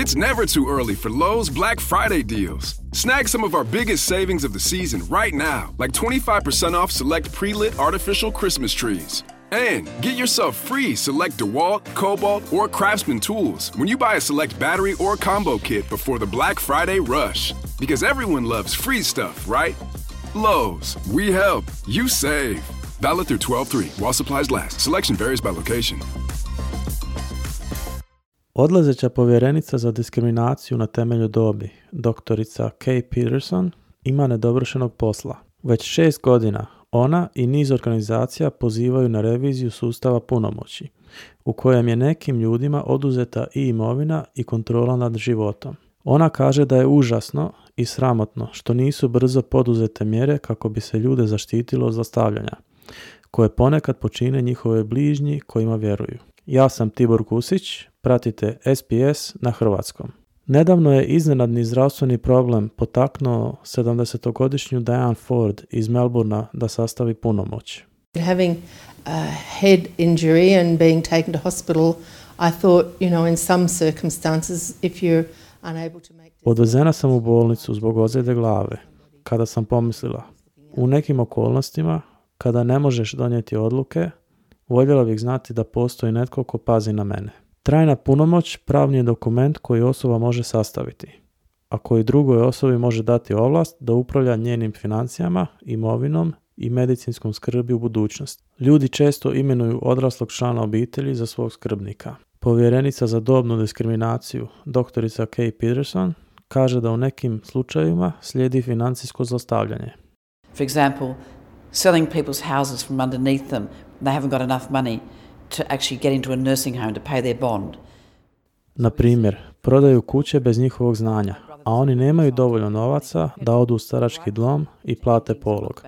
It's never too early for Lowe's Black Friday deals. Snag some of our biggest savings of the season right now, like 25% off select pre-lit artificial Christmas trees. And get yourself free select DeWalt, Cobalt, or Craftsman tools when you buy a select battery or combo kit before the Black Friday rush. Because everyone loves free stuff, right? Lowe's, we help, you save. Valid through 12/3 while supplies last. Selection varies by location. Odlazeća povjerenica za diskriminaciju na temelju dobi, doktorica Kay Peterson, ima nedovršenog posla. Već 6 godina ona i niz organizacija pozivaju na reviziju sustava punomoći, u kojem je nekim ljudima oduzeta i imovina i kontrola nad životom. Ona kaže da je užasno i sramotno što nisu brzo poduzete mjere kako bi se ljude zaštitilo od zlostavljanja, koje ponekad počine njihove bližnji kojima vjeruju. Ja sam Tibor Kusić, pratite SBS na hrvatskom. Nedavno je iznenadni zdravstveni problem potaknuo 70-godišnju Diane Ford iz Melbournea da sastavi punomoć. Having a head injury and being taken to hospital, I thought, in some circumstances, if you're unable to make... Odvezena sam u bolnicu zbog ozljede glave, kada sam pomislila, u nekim okolnostima, kada ne možeš donijeti odluke, voljela bih znati da postoji netko ko pazi na mene. Trajna punomoć pravni je dokument koji osoba može sastaviti, a koji drugoj osobi može dati ovlast da upravlja njenim financijama, imovinom i medicinskom skrbi u budućnosti. Ljudi često imenuju odraslog člana obitelji za svog skrbnika. Povjerenica za dobnu diskriminaciju, doktorica Kay Peterson, kaže da u nekim slučajevima slijedi financijsko zlostavljanje. For example, selling people's houses from underneath them, they haven't got enough money to actually get into a nursing home to pay their bond. Na primjer, prodaju kuće bez njihovog znanja, a oni nemaju dovoljno novaca da odu u starački dom i plate polog.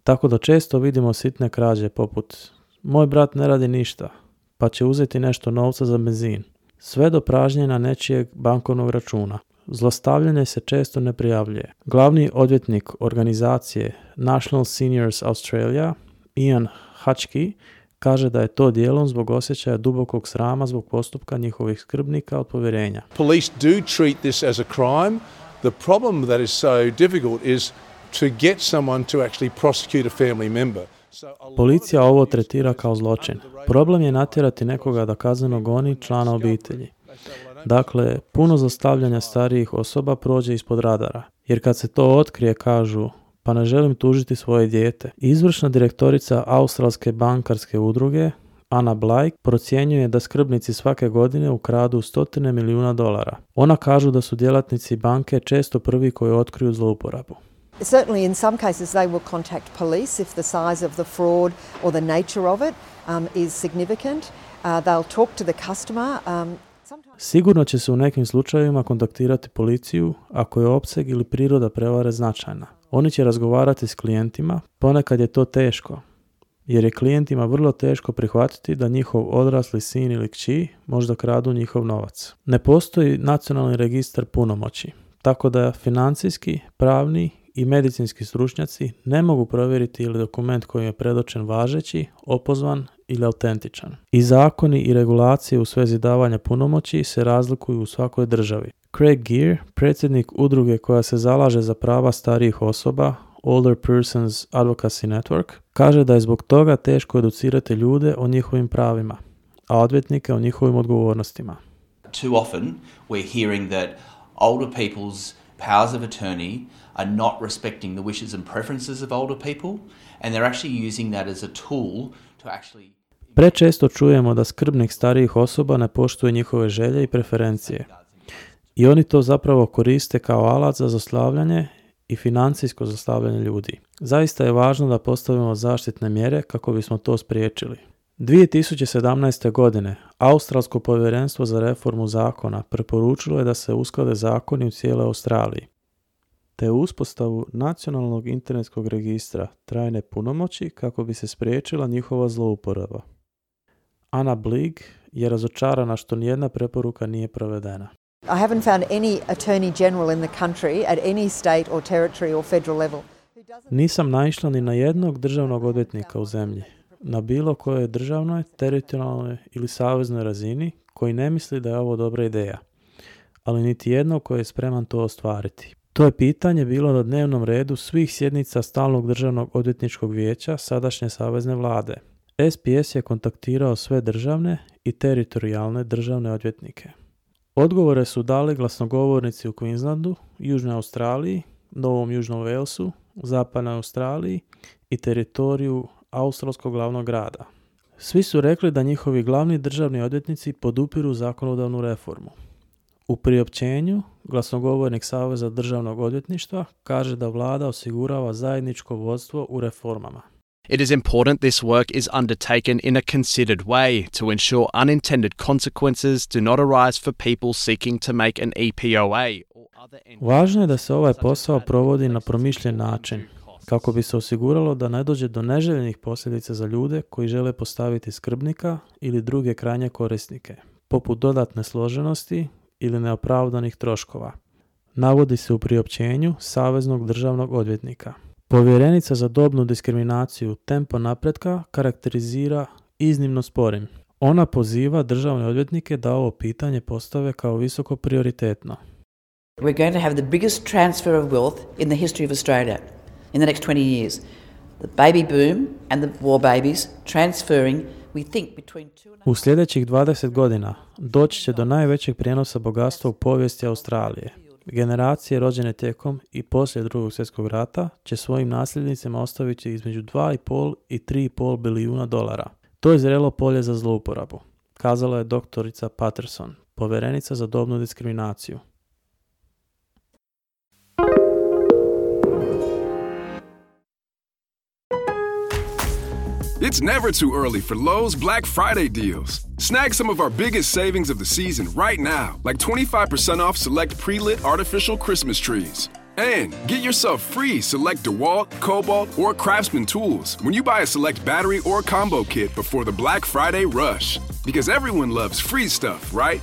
Tako da često vidimo sitne krađe poput moj brat ne radi ništa, pa će uzeti nešto novca za benzin, sve do pražnjenja nečijeg bankovnog računa. Zlostavljanje se često ne prijavljuje. Glavni odvjetnik organizacije National Seniors Australia, Ian Hutchkey, kaže da je to dijelom zbog osjećaja dubokog srama zbog postupka njihovih skrbnika od povjerenja. Police do treat this as a crime. The problem that is so difficult is to get someone to actually prosecute a family member. Policija ovo tretira kao zločin. Problem je natjerati nekoga da kazneno goni člana obitelji. Dakle, puno zlostavljanja starijih osoba prođe ispod radara, jer kad se to otkrije kažu pa ne želim tužiti svoje dijete. Izvršna direktorica Australske bankarske udruge, Anna Blake, procjenjuje da skrbnici svake godine ukradu $100 milijuna. Ona kažu da su djelatnici banke često prvi koji otkriju zlouporabu. Certainly in some cases they will contact police if the size of the fraud or the nature of it is significant. They'll talk to the customer. Sigurno će se u nekim slučajevima kontaktirati policiju ako je opseg ili priroda prevare značajna. Oni će razgovarati s klijentima, ponekad je to teško, jer je klijentima vrlo teško prihvatiti da njihov odrasli sin ili kći možda kradu njihov novac. Ne postoji nacionalni registar punomoći, tako da financijski, pravni i medicinski stručnjaci ne mogu provjeriti ili dokument koji je predočen važeći, opozvan ili autentičan. I zakoni i regulacije u svezi davanja punomoći se razlikuju u svakoj državi. Craig Gear, predsjednik udruge koja se zalaže za prava starijih osoba, Older Persons Advocacy Network, kaže da je zbog toga teško educirati ljude o njihovim pravima, a odvjetnike o njihovim odgovornostima. Too often we're hearing that older people's powers of attorney are not respecting the wishes and preferences of older people, and they're actually using that as a tool to actually... Prečesto čujemo da skrbnik starijih osoba ne poštuje njihove želje i preferencije. I oni to zapravo koriste kao alat za zlostavljanje i financijsko zlostavljanje ljudi. Zaista je važno da postavimo zaštitne mjere kako bismo to spriječili. 2017. godine Australsko povjerenstvo za reformu zakona preporučilo je da se usklade zakoni u cijeloj Australiji, te uspostavu nacionalnog internetskog registra trajne punomoći kako bi se spriječila njihova zlouporaba. Anna Blig je razočarana što nijedna preporuka nije provedena. I haven't found any attorney general in the country at any state or territory or federal level. Nisam naišla ni na jednog državnog odvjetnika u zemlji, na bilo kojoj državnoj, teritorijalnoj ili saveznoj razini koji ne misli da je ovo dobra ideja. ali niti jednog koji je spreman to ostvariti. To je pitanje bilo na dnevnom redu svih sjednica Stalnog državnog odvjetničkog vijeća sadašnje savezne vlade. SPS je kontaktirao sve državne i teritorijalne državne odvjetnike. Odgovore su dali glasnogovornici u Queenslandu, Južnoj Australiji, Novom Južnom Walesu, Zapadnoj Australiji i teritoriju australskog glavnog grada. Svi su rekli da njihovi glavni državni odvjetnici podupiru zakonodavnu reformu. U priopćenju glasnogovornik Saveza državnog odvjetništva kaže da vlada osigurava zajedničko vodstvo u reformama. It is important this work is undertaken in a considered way to ensure unintended consequences do not arise for people seeking to make an EPOA. Važno je da se ovaj posao provodi na promišljen način, kako bi se osiguralo da ne dođe do neželjenih posljedica za ljude koji žele postaviti skrbnika ili druge krajnje korisnike, poput dodatne složenosti ili neopravdanih troškova. Navodi se u priopćenju Saveznog državnog odvjetnika. Povjerenica za dobnu diskriminaciju tempo napretka karakterizira iznimno sporim. Ona poziva državne odvjetnike da ovo pitanje postave kao visoko prioritetno. We're going to have the biggest transfer of wealth in the history of Australia in the next 20 years. The baby boom and the war babies transferring, we think, between 2.5... U sljedećih 20 godina doći će do najvećeg prijenosa bogatstva u povijesti Australije. Generacije rođene tijekom i poslije Drugog svjetskog rata će svojim nasljednicima ostaviti između 2,5 i 3,5 bilijuna dolara. To je zrelo polje za zlouporabu, kazala je doktorica Patterson, povjerenica za dobnu diskriminaciju. It's never too early for Lowe's Black Friday deals. Snag some of our biggest savings of the season right now, like 25% off select pre-lit artificial Christmas trees. And get yourself free select DeWalt, Cobalt, or Craftsman tools when you buy a select battery or combo kit before the Black Friday rush. Because everyone loves free stuff, right?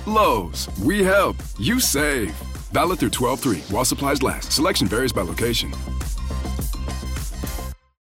Lowe's, we help, you save. Valid through 12/3 while supplies last. Selection varies by location.